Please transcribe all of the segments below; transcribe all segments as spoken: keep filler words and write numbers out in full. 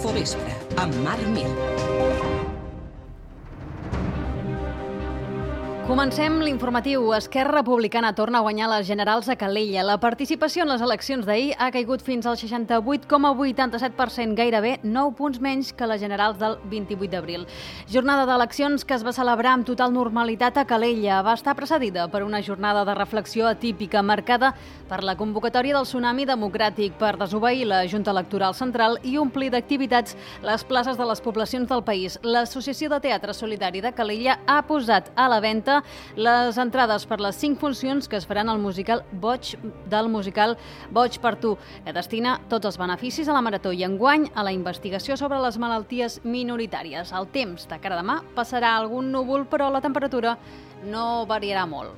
Infovespre, amb Marc Mir. Comencem l'informatiu. Esquerra Republicana torna a guanyar les generals a Calella. La participació en les eleccions d'ahir ha caigut fins al seixanta-vuit coma vuitanta-set per cent, gairebé nou punts menys que les generals del vint-i-vuit d'abril. Jornada d'eleccions que es va celebrar amb total normalitat a Calella. Va estar precedida per una jornada de reflexió atípica marcada per la convocatòria del Tsunami Democràtic per desobeir la Junta Electoral Central i omplir d'activitats les places de les poblacions del país. L'Associació de Teatre Solidari de Calella ha posat a la venda les entrades per les cinc funcions que es faran al musical Boig del musical Boig per tu, que destina tots els beneficis a la Marató i enguany a la investigació sobre les malalties minoritàries. El temps de cara a demà passarà algun núvol, però la temperatura no variarà molt.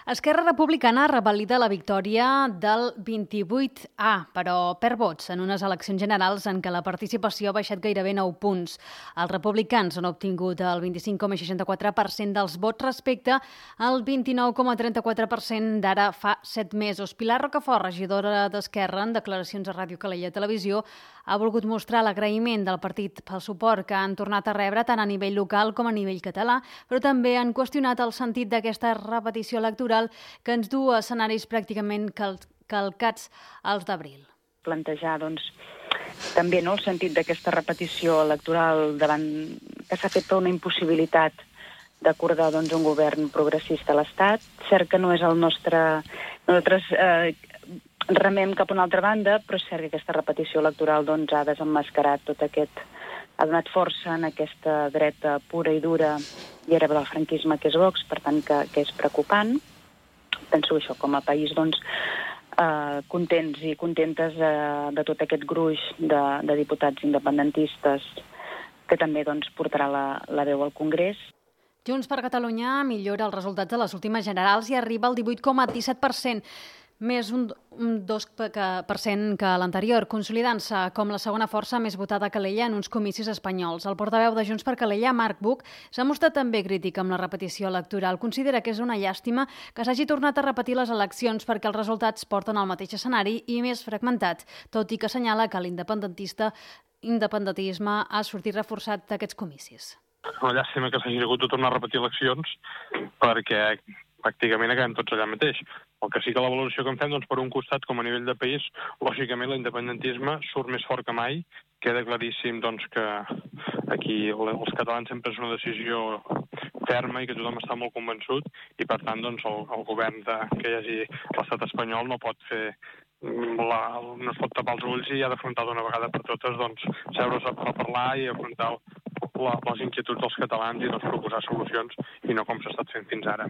Esquerra Republicana revalida la victòria del vint-i-vuit A, però perd vots en unes eleccions generals en què la participació ha baixat gairebé nou punts. Els republicans han obtingut el vint-i-cinc coma seixanta-quatre per cent dels vots respecte al vint-i-nou coma trenta-quatre per cent d'ara fa set mesos. Pilar Rocafort, regidora d'Esquerra, en declaracions a Ràdio Calella Televisió, ha volgut mostrar l'agraïment del partit pel suport que han tornat a rebre tant a nivell local com a nivell català, però també han qüestionat el sentit d'aquesta repetició electoral que ens du a escenaris pràcticament cal calcats als d'abril. Plantejar, doncs, també no, el sentit d'aquesta repetició electoral davant que s'ha fet una impossibilitat d'acordar doncs, un govern progressista a l'Estat. Cert que no és el nostre... Nosaltres eh, remem cap a una altra banda, però és cert que aquesta repetició electoral doncs, ha desemmascarat tot aquest... ha donat força en aquesta dreta pura i dura i herebre del franquisme que és Vox, per tant que, que és preocupant. Penso això, com a país, doncs, eh, contents i contentes de, de tot aquest gruix de, de diputats independentistes que també doncs, portarà la, la veu al Congrés. Junts per Catalunya millora els resultats de les últimes generals i arriba al divuit coma disset per cent, més un, un dos per cent que l'anterior, consolidant-se com la segona força més votada a Calella en uns comicis espanyols. El portaveu de Junts per Calella, Marc Buch, s'ha mostrat també crític amb la repetició electoral. Considera que és una llàstima que s'hagi tornat a repetir les eleccions perquè els resultats porten al mateix escenari i més fragmentat, tot i que assenyala que l'independentista independentisme ha sortit reforçat d'aquests comicis. Una llàstima que s'hagi hagut de tornar a repetir eleccions perquè pràcticament acabem tots allà mateix. El que sí que la valoració que en fem, doncs, per un costat, com a nivell de país, lògicament l'independentisme surt més fort que mai. Queda claríssim doncs, que aquí els catalans sempre és una decisió ferma i que tothom està molt convençut i, per tant, doncs, el, el govern de, que hi hagi l'estat espanyol no pot fer la, no es pot tapar els ulls i ha d'afrontar d'una vegada per totes doncs, seure's a parlar i afrontar la, les inquietuds dels catalans i doncs, proposar solucions i no com s'ha estat fent fins ara.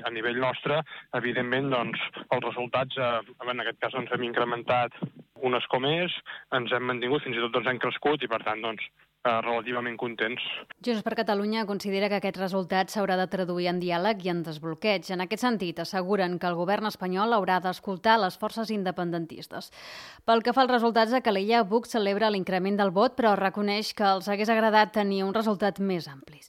A nivell nostre, evidentment, doncs, els resultats, eh, en aquest cas, doncs, hem incrementat un escó més, ens hem mantingut, fins i tot doncs, hem crescut i, per tant, doncs, eh, relativament contents. Junts per Catalunya considera que aquest resultat s'haurà de traduir en diàleg i en desbloqueig. En aquest sentit, asseguren que el govern espanyol haurà d'escoltar les forces independentistes. Pel que fa als resultats de Calella, Buch celebra l'increment del vot, però reconeix que els hagués agradat tenir un resultat més amplis.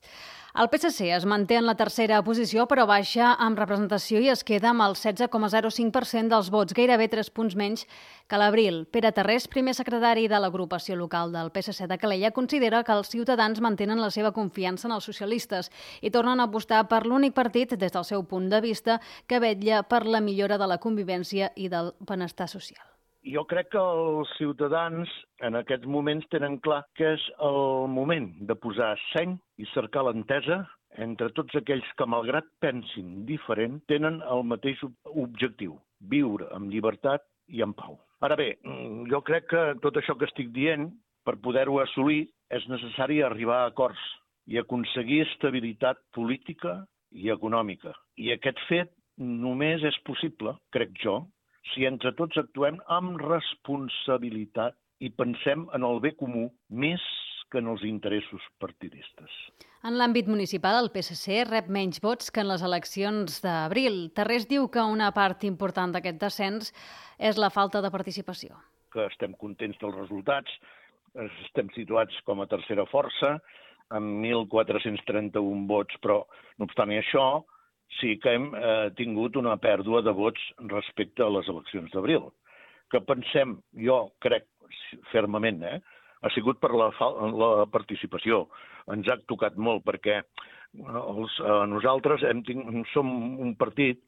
El P S C es manté en la tercera posició, però baixa amb representació i es queda amb el setze coma zero cinc per cent dels vots, gairebé tres punts menys que l'abril. Pere Tarrés, primer secretari de l'agrupació local del P S C de Calella, considera que els ciutadans mantenen la seva confiança en els socialistes i tornen a apostar per l'únic partit, des del seu punt de vista, que vetlla per la millora de la convivència i del benestar social. Jo crec que els ciutadans en aquests moments tenen clar que és el moment de posar seny i cercar l'entesa entre tots aquells que, malgrat pensin diferent, tenen el mateix objectiu, viure amb llibertat i en pau. Ara bé, jo crec que tot això que estic dient, per poder-ho assolir, és necessari arribar a acords i aconseguir estabilitat política i econòmica. I aquest fet només és possible, crec jo, si entre tots actuem amb responsabilitat i pensem en el bé comú més que en els interessos partidistes. En l'àmbit municipal, el P S C rep menys vots que en les eleccions d'abril. Tarrés diu que una part important d'aquest descens és la falta de participació. Que estem contents dels resultats, estem situats com a tercera força, amb mil quatre-cents trenta-un vots, però no obstant això, sí que hem eh, tingut una pèrdua de vots respecte a les eleccions d'abril, que pensem, jo crec fermament, eh, ha sigut per la, la participació. Ens ha tocat molt perquè els, eh, nosaltres hem ting, som un partit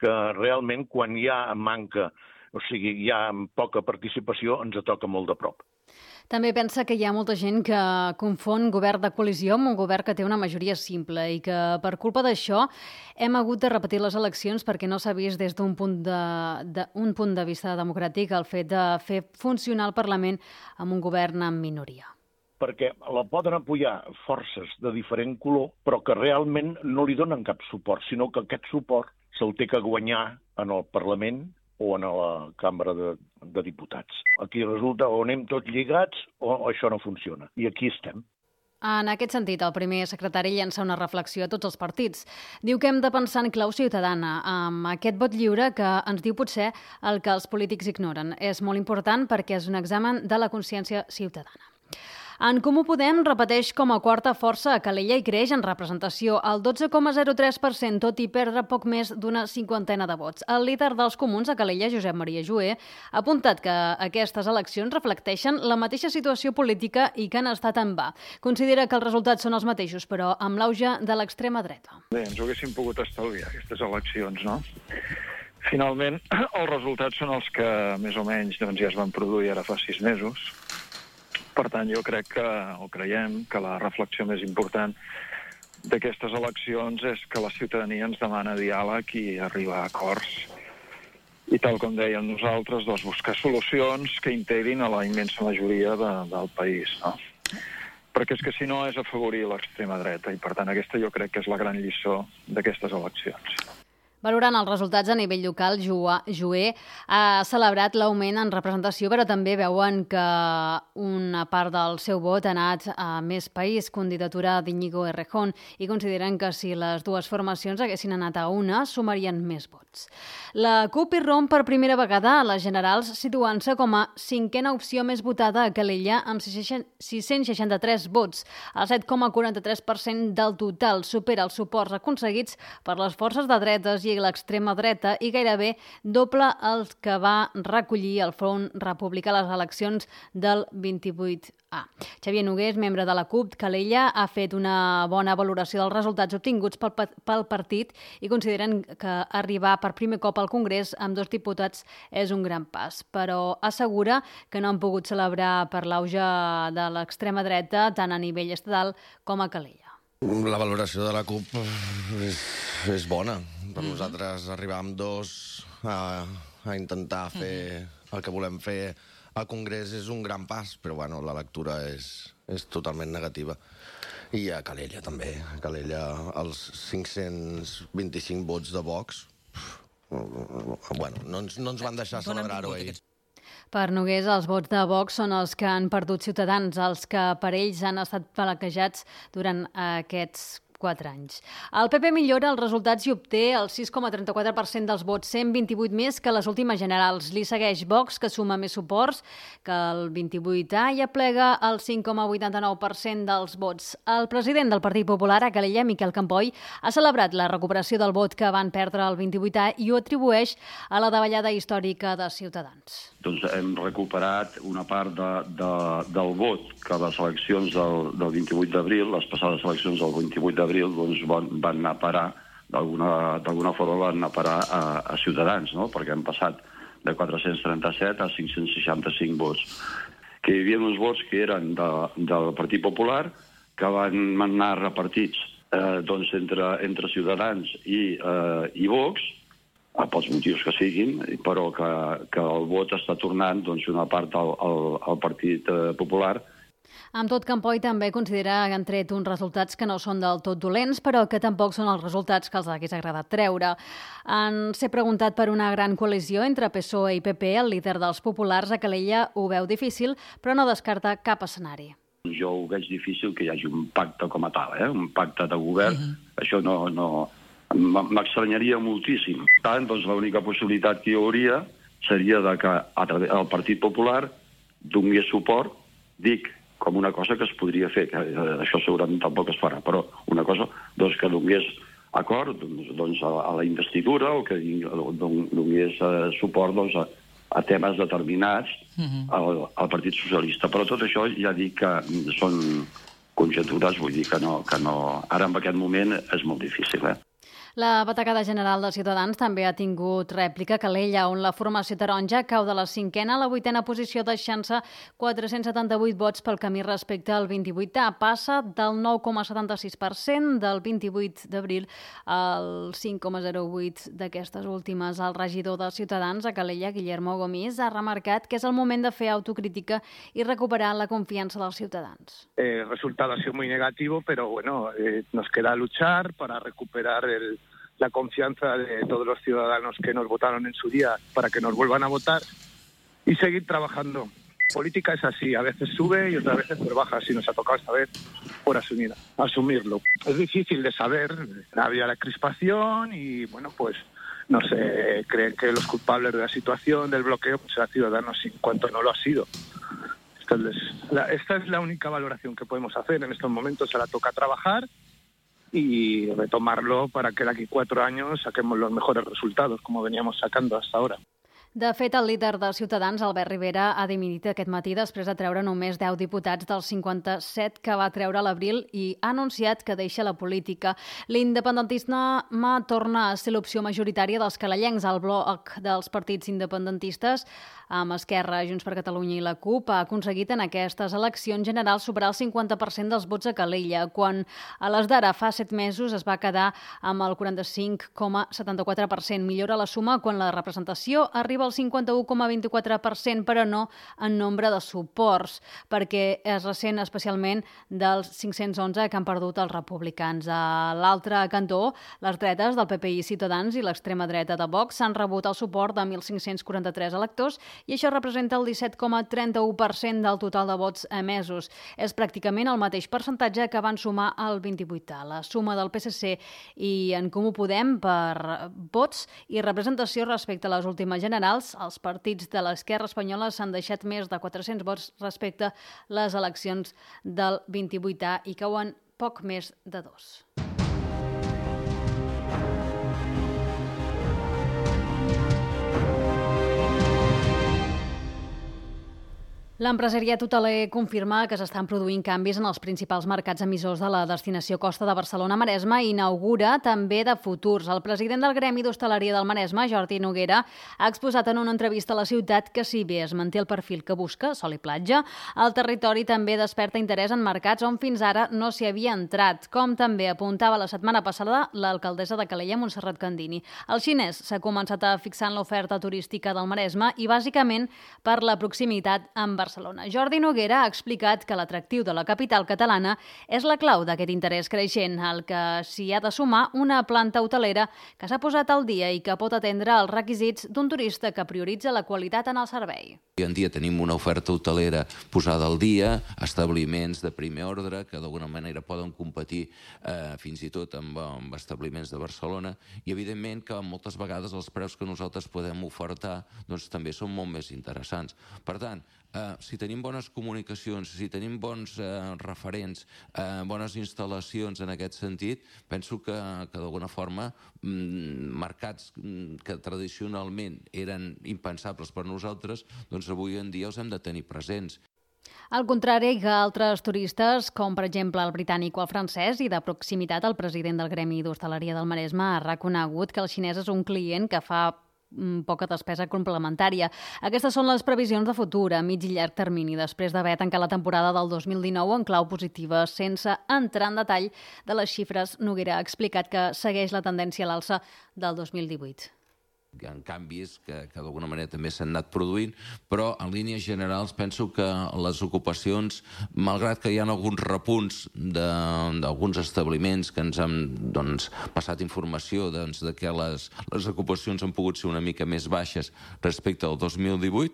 que realment quan hi ha manca, o sigui, hi ha poca participació, ens toca molt de prop. També pensa que hi ha molta gent que confon govern de coalició amb un govern que té una majoria simple i que per culpa d'això hem hagut de repetir les eleccions perquè no s'ha vist des d'un punt de, de, un punt de vista democràtic el fet de fer funcionar el Parlament amb un govern en minoria. Perquè la poden apoyar forces de diferent color, però que realment no li donen cap suport, sinó que aquest suport se'l té que guanyar en el Parlament o en la Cambra de, de Diputats. Aquí resulta o anem tots lligats o això no funciona. I aquí estem. En aquest sentit, el primer secretari llença una reflexió a tots els partits. Diu que hem de pensar en clau ciutadana, amb aquest vot lliure que ens diu potser el que els polítics ignoren. És molt important perquè és un examen de la consciència ciutadana. En Comú Podem repeteix com a quarta força a Calella i creix en representació al dotze coma zero tres per cent, tot i perdre poc més d'una cinquantena de vots. El líder dels comuns a Calella, Josep Maria Joé, ha apuntat que aquestes eleccions reflecteixen la mateixa situació política i que han estat en va. Considera que els resultats són els mateixos, però amb l'auge de l'extrema dreta. Bé, ens ho haguéssim pogut estalviar, aquestes eleccions, no? Finalment, els resultats són els que més o menys doncs, ja es van produir ara fa sis mesos. Per tant, jo crec que, o creiem, que la reflexió més important d'aquestes eleccions és que la ciutadania ens demana diàleg i arribar a acords. I tal com dèiem nosaltres, doncs, buscar solucions que integrin a la immensa majoria de, del país, no? Perquè és que si no és afavorir l'extrema dreta i, per tant, aquesta jo crec que és la gran lliçó d'aquestes eleccions. Valorant els resultats a nivell local, Joé ha celebrat l'augment en representació, però també veuen que una part del seu vot ha anat a Més País, candidatura d'Iñigo Errejón, i consideren que si les dues formacions haguessin anat a una, sumarien més vots. La CUP irromp per primera vegada a les generals, situant-se com a cinquena opció més votada a Calella, amb sis-cents seixanta-tres vots. El set coma quaranta-tres per cent del total supera els suports aconseguits per les forces de dretes i l'extrema dreta i gairebé doble el que va recollir el Front Republicà a les eleccions del vint-i-vuit A. Xavier Nogués, membre de la CUP Calella, ha fet una bona valoració dels resultats obtinguts pel, pel partit i consideren que arribar per primer cop al Congrés amb dos diputats és un gran pas, però assegura que no han pogut celebrar per l'auge de l'extrema dreta tant a nivell estatal com a Calella. La valoració de la CUP és, és bona. Per mm-hmm. nosaltres arribar amb dos a, a intentar fer mm-hmm. el que volem fer al Congrés és un gran pas, però bueno, la lectura és, és totalment negativa. I a Calella també. A Calella els cinc-cents vint-i-cinc vots de Vox bueno, no, ens, no ens van deixar celebrar-ho ahir. Per Nogués, els vots de Vox són els que han perdut Ciutadans, els que per ells han estat flaquejats durant aquests quatre anys. El P P millora els resultats i obté el sis coma trenta-quatre per cent dels vots, cent vint-i-vuit més que les últimes generals. Li segueix Vox, que suma més suports que el vint-i-vuit A i aplega el cinc coma vuitanta-nou per cent dels vots. El president del Partit Popular a Calella, Miquel Campoy, ha celebrat la recuperació del vot que van perdre el vint-i-vuit A i ho atribueix a la davallada històrica de Ciutadans. Doncs hem recuperat una part de, de, del vot que les eleccions del, del vint-i-vuit d'abril, les passades eleccions del vint-i-vuit d'abril, doncs van, van anar a parar, d'alguna forma van anar a parar a, a Ciutadans, no? Perquè hem passat de quatre-cents trenta-set a cinc-cents seixanta-cinc vots. Que hi havia uns vots que eren de, del Partit Popular, que van anar repartits eh, doncs entre, entre Ciutadans i, eh, i Vox, pels motius que siguin, però que, que el vot està tornant doncs, una part al, al, al Partit Popular. Amb tot, Campoy també considera que han tret uns resultats que no són del tot dolents, però que tampoc són els resultats que els hagués agradat treure. En ser preguntat per una gran coalició entre P S O E i P P, el líder dels populars a Calella ho veu difícil, però no descarta cap escenari. Jo ho veig difícil que hi hagi un pacte com a tal, eh? Un pacte de govern. Uh-huh. Això no... no... m'estranyaria moltíssim. Tant, doncs l'única possibilitat que hi hauria seria de que a través del Partit Popular donés suport, dic, com una cosa que es podria fer, que això segurament tampoc es farà, però una cosa doncs, que donés acord doncs, doncs a, a la investidura o que donés uh, suport doncs, a, a temes determinats uh-huh. al, al Partit Socialista. Però tot això ja dic que són conjectures, vull dir que no, que no... Ara en aquest moment és molt difícil, eh? La batacada general de Ciutadans també ha tingut rèplica a Calella, on la formació taronja cau de la cinquena a la vuitena posició, deixant-se quatre-cents setanta-vuit vots pel camí respecte al vint-i-vuit A. Passa del nou coma setanta-sis per cent del vint-i-vuit d'abril al cinc coma zero vuit d'aquestes últimes. El regidor de Ciutadans a Calella, Guillermo Gomis, ha remarcat que és el moment de fer autocrítica i recuperar la confiança dels ciutadans. El resultado ha sido muy negativo, pero bueno, eh, nos queda luchar para recuperar el la confianza de todos los ciudadanos que nos votaron en su día para que nos vuelvan a votar y seguir trabajando. Política es así, a veces sube y otras veces pues baja, si nos ha tocado esta vez por asumir, asumirlo. Es difícil de saber, había la crispación y bueno, pues no sé, creen que los culpables de la situación, del bloqueo, pues serán ciudadanos, en cuanto no lo ha sido. Esta es, la, esta es la única valoración que podemos hacer en estos momentos, ahora toca trabajar y retomarlo para que de aquí cuatro años saquemos los mejores resultados, como veníamos sacando hasta ahora. De fet, el líder de Ciutadans, Albert Rivera, ha dimitit aquest matí després de treure només deu diputats dels cinquanta-set que va treure a l'abril i ha anunciat que deixa la política. L'independentisme torna a ser l'opció majoritària dels calellencs. El bloc dels partits independentistes, amb Esquerra, Junts per Catalunya i la CUP, ha aconseguit en aquestes eleccions generals superar el cinquanta per cent dels vots a Calella, quan a les d'ara fa set mesos es va quedar amb el quaranta-cinc coma setanta-quatre per cent. Millora la suma quan la representació arriba al cinquanta-u coma vint-i-quatre per cent, però no en nombre de suports, perquè es ressent especialment dels cinc-cents onze que han perdut els republicans. A l'altre cantó, les dretes del P P I, Ciutadans i l'extrema dreta de Vox s'han rebut el suport de mil cinc-cents quaranta-tres electors i això representa el disset coma trenta-u per cent del total de vots emesos. És pràcticament el mateix percentatge que van sumar el vint-i-vuit A. La suma del P S C i En Comú Podem per vots i representació respecte a les últimes generals, els partits de l'esquerra espanyola s'han deixat més de quatre-cents vots respecte a les eleccions del vint-i-vuit A i cauen poc més de dos. L'empresariat hoteler confirma que s'estan produint canvis en els principals mercats emissors de la destinació Costa de Barcelona-Maresme i inaugura també de futurs. El president del Gremi d'Hostaleria del Maresme, Jordi Noguera, ha exposat en una entrevista a la ciutat que si bé es manté el perfil que busca, sol i platja, el territori també desperta interès en mercats on fins ara no s'hi havia entrat, com també apuntava la setmana passada l'alcaldessa de Calella, Montserrat Candini. El xinès s'ha començat a fixar en l'oferta turística del Maresme i bàsicament per la proximitat amb Barcelona. Jordi Noguera ha explicat que l'atractiu de la capital catalana és la clau d'aquest interès creixent, al que s'hi ha de sumar una planta hotelera que s'ha posat al dia i que pot atendre els requisits d'un turista que prioritza la qualitat en el servei. Avui en dia tenim una oferta hotelera posada al dia, establiments de primer ordre que d'alguna manera poden competir eh, fins i tot amb, amb establiments de Barcelona i evidentment que moltes vegades els preus que nosaltres podem ofertar doncs, també són molt més interessants. Per tant, Uh, si tenim bones comunicacions, si tenim bons uh, referents, uh, bones instal·lacions en aquest sentit, penso que, que d'alguna forma mm, mercats mm, que tradicionalment eren impensables per nosaltres, doncs avui en dia els hem de tenir presents. Al contrari que altres turistes, com per exemple el britànic o el francès, i de proximitat el president del Gremi d'Hostaleria del Maresme ha reconegut que el xinès és un client que fa poca despesa complementària. Aquestes són les previsions de futur a mig i llarg termini, després d'haver tancat la temporada del dos mil dinou en clau positiva. Sense entrar en detall de les xifres, Noguera ha explicat que segueix la tendència a l'alça del dos mil divuit. Hi ha canvis que, que d'alguna manera també s'han anat produint, però en línies generals penso que les ocupacions, malgrat que hi ha alguns repunts d'alguns establiments que ens han doncs, passat informació doncs, de que les, les ocupacions han pogut ser una mica més baixes respecte al dos mil divuit,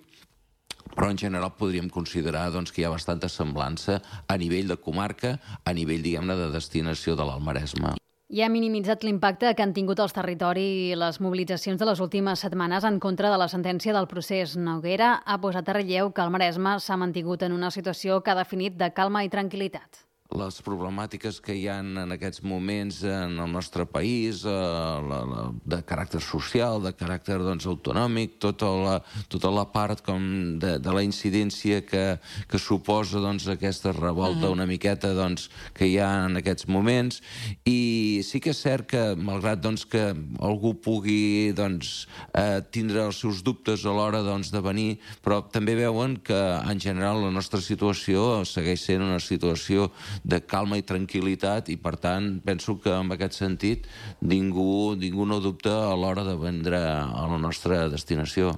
però en general podríem considerar doncs, que hi ha bastanta semblança a nivell de comarca, a nivell, diguem-ne, de destinació de l'Alt Maresme. I ha minimitzat l'impacte que han tingut els territoris i les mobilitzacions de les últimes setmanes en contra de la sentència del procés. Noguera ha posat a relleu que el Maresme s'ha mantingut en una situació que ha definit de calma i tranquil·litat. les problemàtiques que hi ha en aquests moments en el nostre país, eh, la, la, de caràcter social, de caràcter doncs, autonòmic, tota la, tota la part com de, de la incidència que, que suposa doncs, aquesta revolta uh-huh. una miqueta doncs, que hi ha en aquests moments. I sí que és cert que, malgrat doncs, que algú pugui doncs, eh, tindre els seus dubtes a l'hora doncs, de venir, però també veuen que en general la nostra situació segueix sent una situació de calma i tranquil·litat i, per tant, penso que en aquest sentit ningú, ningú no dubta a l'hora de vendre a la nostra destinació.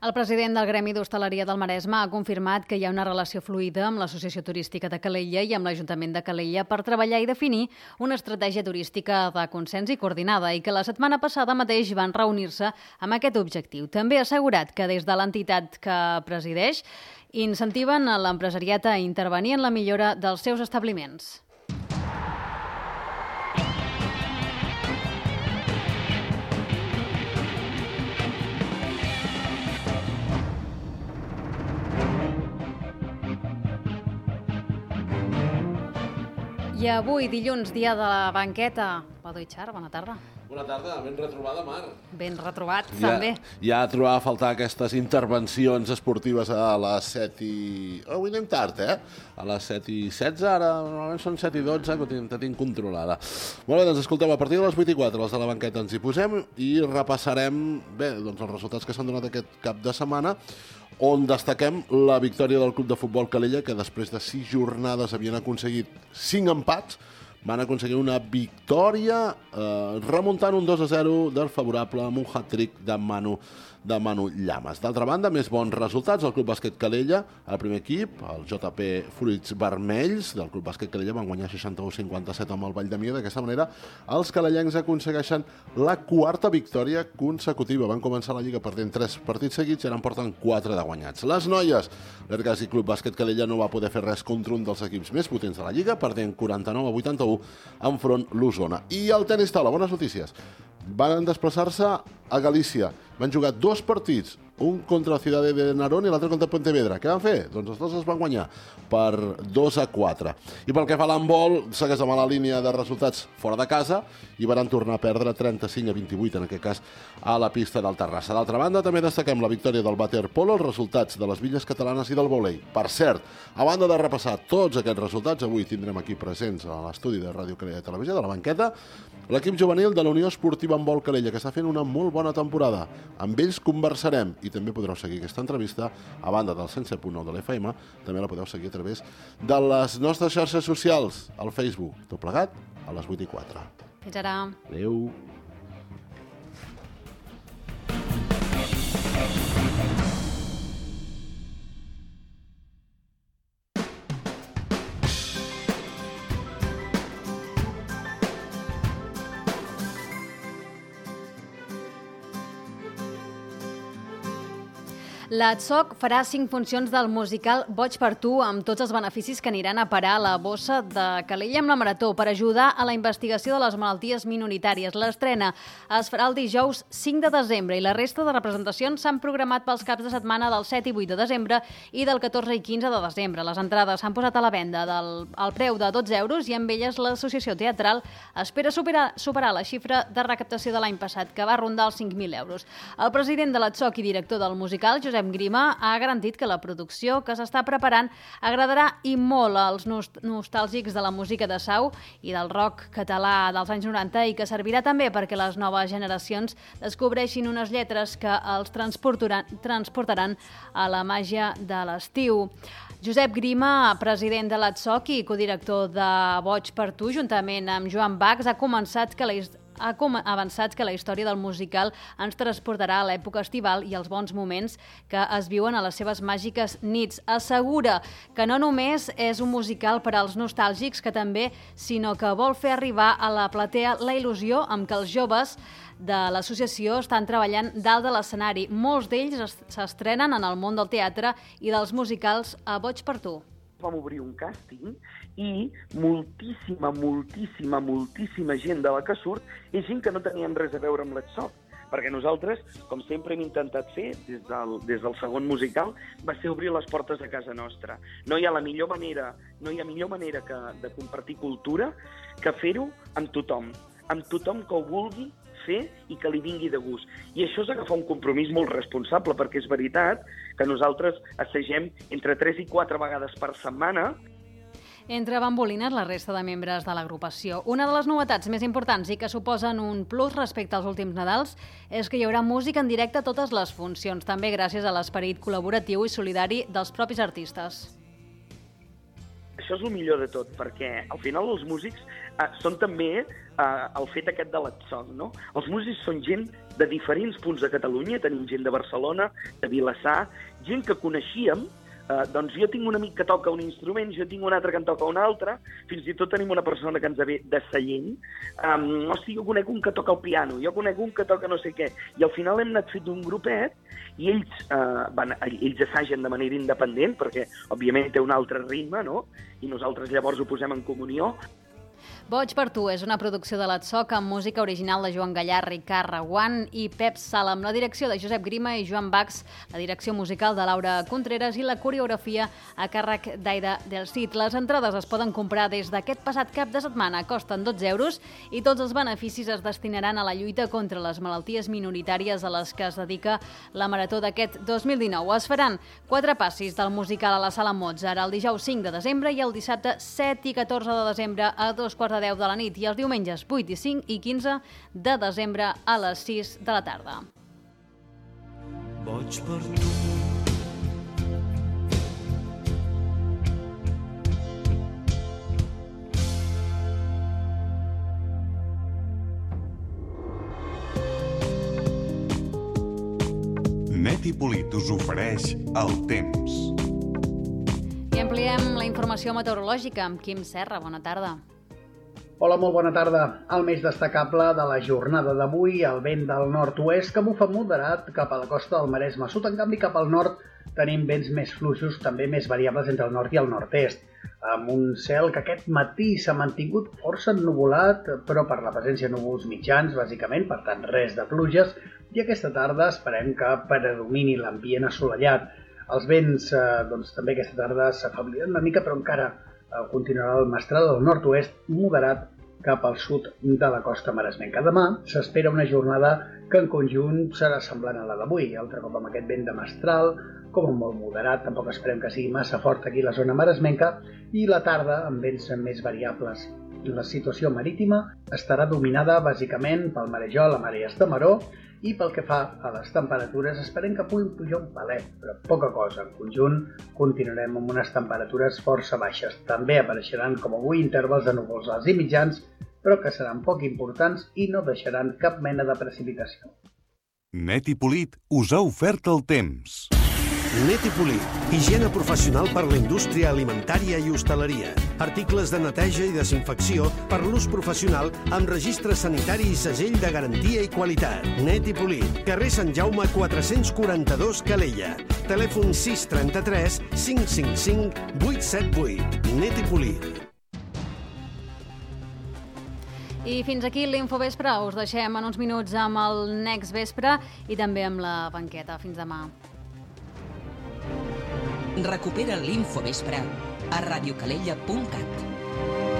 El president del Gremi d'Hostaleria del Maresme ha confirmat que hi ha una relació fluida amb l'Associació Turística de Calella i amb l'Ajuntament de Calella per treballar i definir una estratègia turística de consens i coordinada i que la setmana passada mateix van reunir-se amb aquest objectiu. També ha assegurat que des de l'entitat que presideix incentiven l'empresariat a intervenir en la millora dels seus establiments. I avui, dilluns, dia de la banqueta. Pado Itxar, bona tarda. Bona tarda, ben retrobada, Mar. Ben retrobat, ja, també. Ja trobava a faltar aquestes intervencions esportives a les set i... Oh, avui anem tard, eh? A les set i setze, ara normalment són set i dotze, que te tinc controlada. Molt bé, doncs escolteu, a partir de les vuit i quatre, els de la banqueta ens hi posem i repassarem, bé, doncs els resultats que s'han donat aquest cap de setmana, on destaquem la victòria del Club de Futbol Calella, que després de sis jornades havien aconseguit cinc empats, van aconseguir una victòria eh, remuntant un dos a zero del favorable amb un hat-trick de Manu, de Manu Llamas. D'altra banda, més bons resultats. El Club Bàsquet Calella, el primer equip, el J P Fruits Vermells del Club Bàsquet Calella, van guanyar seixanta-u a cinquanta-set amb el Vall de Mia. D'aquesta manera, els calellencs aconsegueixen la quarta victòria consecutiva. Van començar la Lliga perdent tres partits seguits i ara en porten quatre de guanyats. Les noies, l'Ergas i Club Bàsquet Calella no va poder fer res contra un dels equips més potents de la Lliga, perdent quaranta-nou a vuitanta-u enfront l'Osona. I el tenis taula, bones notícies. Van desplaçar-se a Galícia. Van jugar dos partits, un contra la Ciudad de Narón i l'altre contra Pontevedra. Què van fer? Doncs els dos es van guanyar per dos a quatre. I pel que fa a l'handbol, segueix amb la línia de resultats fora de casa i van tornar a perdre trenta-cinc a vint-i-vuit, en aquest cas, a la pista del Terrassa. D'altra banda, també destaquem la victòria del waterpolo, els resultats de les Villes Catalanes i del vòlei. Per cert, a banda de repassar tots aquests resultats, avui tindrem aquí presents a l'estudi de Ràdio Calella de Televisió, de la banqueta, l'equip juvenil de la Unió Esportiva Handbol Calella, que està fent una molt bona temporada. Amb ells conversarem i també podreu seguir aquesta entrevista a banda del cent set punt nou de l'F M, també la podeu seguir a través de les nostres xarxes socials, al Facebook, tot plegat, a les vuit i quatre. Fins ara. Adéu. La T S O C farà cinc funcions del musical Boig per tu, amb tots els beneficis que aniran a parar a la bossa de Calella amb la Marató per ajudar a la investigació de les malalties minoritàries. L'estrena es farà el dijous cinc de desembre i la resta de representacions s'han programat pels caps de setmana del set i vuit de desembre i del catorze i quinze de desembre. Les entrades s'han posat a la venda del, al preu de dotze euros i amb elles l'Associació Teatral espera superar, superar la xifra de recaptació de l'any passat, que va rondar els cinc mil euros. El president de la T S O C i director del musical, Josep Grima, ha garantit que la producció que s'està preparant agradarà i molt als nostàlgics de la música de Sau i del rock català dels anys noranta i que servirà també perquè les noves generacions descobreixin unes lletres que els transportaran, transportaran a la màgia de l'estiu. Josep Grima, president de la T S O C i codirector de Boig per tu, juntament amb Joan Bax, ha començat que la ha avançat que la història del musical ens transportarà a l'època estival i als bons moments que es viuen a les seves màgiques nits. Assegura que no només és un musical per als nostàlgics, que també, sinó que vol fer arribar a la platea la il·lusió amb què els joves de l'associació estan treballant dalt de l'escenari. Molts d'ells s'estrenen en el món del teatre i dels musicals a Boig per tu. Vam obrir un càsting i moltíssima, moltíssima, moltíssima gent de la que surt és gent que no teníem res a veure amb la T S O C. perquè nosaltres, com sempre hem intentat fer des del, des del segon musical, va ser obrir les portes de casa nostra. No hi ha la millor manera, no hi ha millor manera que, de compartir cultura que fer-ho amb tothom, amb tothom que ho vulgui fer i que li vingui de gust. I això és agafar un compromís molt responsable, perquè és veritat que nosaltres assagem entre tres i quatre vegades per setmana. Entre bambolines la resta de membres de l'agrupació. Una de les novetats més importants i que suposen un plus respecte als últims Nadals és que hi haurà música en directe a totes les funcions, també gràcies a l'esperit col·laboratiu i solidari dels propis artistes. Això és el millor de tot, perquè al final els músics eh, són també eh, el fet aquest de l'Atsong, no? Els músics són gent de diferents punts de Catalunya, tenim gent de Barcelona, de Vilassar, gent que coneixíem. Uh, doncs jo tinc un amic que toca un instrument, jo tinc un altre que en toca un altre, fins i tot tenim una persona que ens ve de Sallent. Um, hosti, jo conec un que toca el piano, jo conec un que toca no sé què. I al final hem anat fet un grupet i ells, uh, van, ells assagen de manera independent, perquè òbviament té un altre ritme, no? I nosaltres llavors ho posem en comunió. Boig per tu és una producció de l'Atsoc amb música original de Joan Gallà, Ricard Reguant i Pep Sala, amb la direcció de Josep Grima i Joan Bax, la direcció musical de Laura Contreras i la coreografia a càrrec d'Aida del Cid. Les entrades es poden comprar des d'aquest passat cap de setmana, costen dotze euros i tots els beneficis es destinaran a la lluita contra les malalties minoritàries a les que es dedica la marató d'aquest dos mil dinou. Es faran quatre passis del musical a la Sala Mozart el dijous cinc de desembre i el dissabte set i catorze de desembre a dos quarts de deu de la nit i els diumenges vuit i cinc i quinze de desembre a les sis de la tarda. Boig per tu. Net i Polit us ofereix el temps. I ampliem la informació meteorològica amb Quim Serra. Bona tarda. Hola, molt bona tarda. El més destacable de la jornada d'avui, el vent del nord-oest que bufa moderat cap a la costa del Maresme. Sud, en canvi, cap al nord tenim vents més fluixos, també més variables entre el nord i el nord-est, amb un cel que aquest matí s'ha mantingut força ennuvolat, però per la presència de núvols mitjans, bàsicament, per tant res de pluges, i aquesta tarda esperem que predomini l'ambient assolellat. Els vents, eh, doncs, també aquesta tarda s'afebliran una mica, però encara eh, continuarà el mestral del nord-oest moderat cap al sud de la costa maresmenca. Demà s'espera una jornada que en conjunt serà semblant a la d'avui, altre cop amb aquest vent de mestral, com molt moderat, tampoc esperem que sigui massa fort aquí a la zona maresmenca, i la tarda amb vents més variables. La situació marítima estarà dominada bàsicament pel marejol, la marea Estamaró, i pel que fa a les temperatures esperem que puguin pujar un palet, però poca cosa. En conjunt continuarem amb unes temperatures força baixes. També apareixeran, com avui, intervals de núvols alts i mitjans, però que seran poc importants i no deixaran cap mena de precipitació. Net i Polit us ha ofert el temps. Net i Polit, higiene professional per la indústria alimentària i hostaleria. Articles de neteja i desinfecció per l'ús professional amb registre sanitari i segell de garantia i qualitat. Net i Polit, carrer Sant Jaume quatre-cents quaranta-dos, Calella. Telèfon sis trenta-tres cinc cinc cinc vuit set vuit. Net i Polit. I fins aquí l'Infovespre. Us deixem en uns minuts amb el Next Vespre i també amb la banqueta. Fins demà. Recupera l'Infovespre a radiocalella punt cat.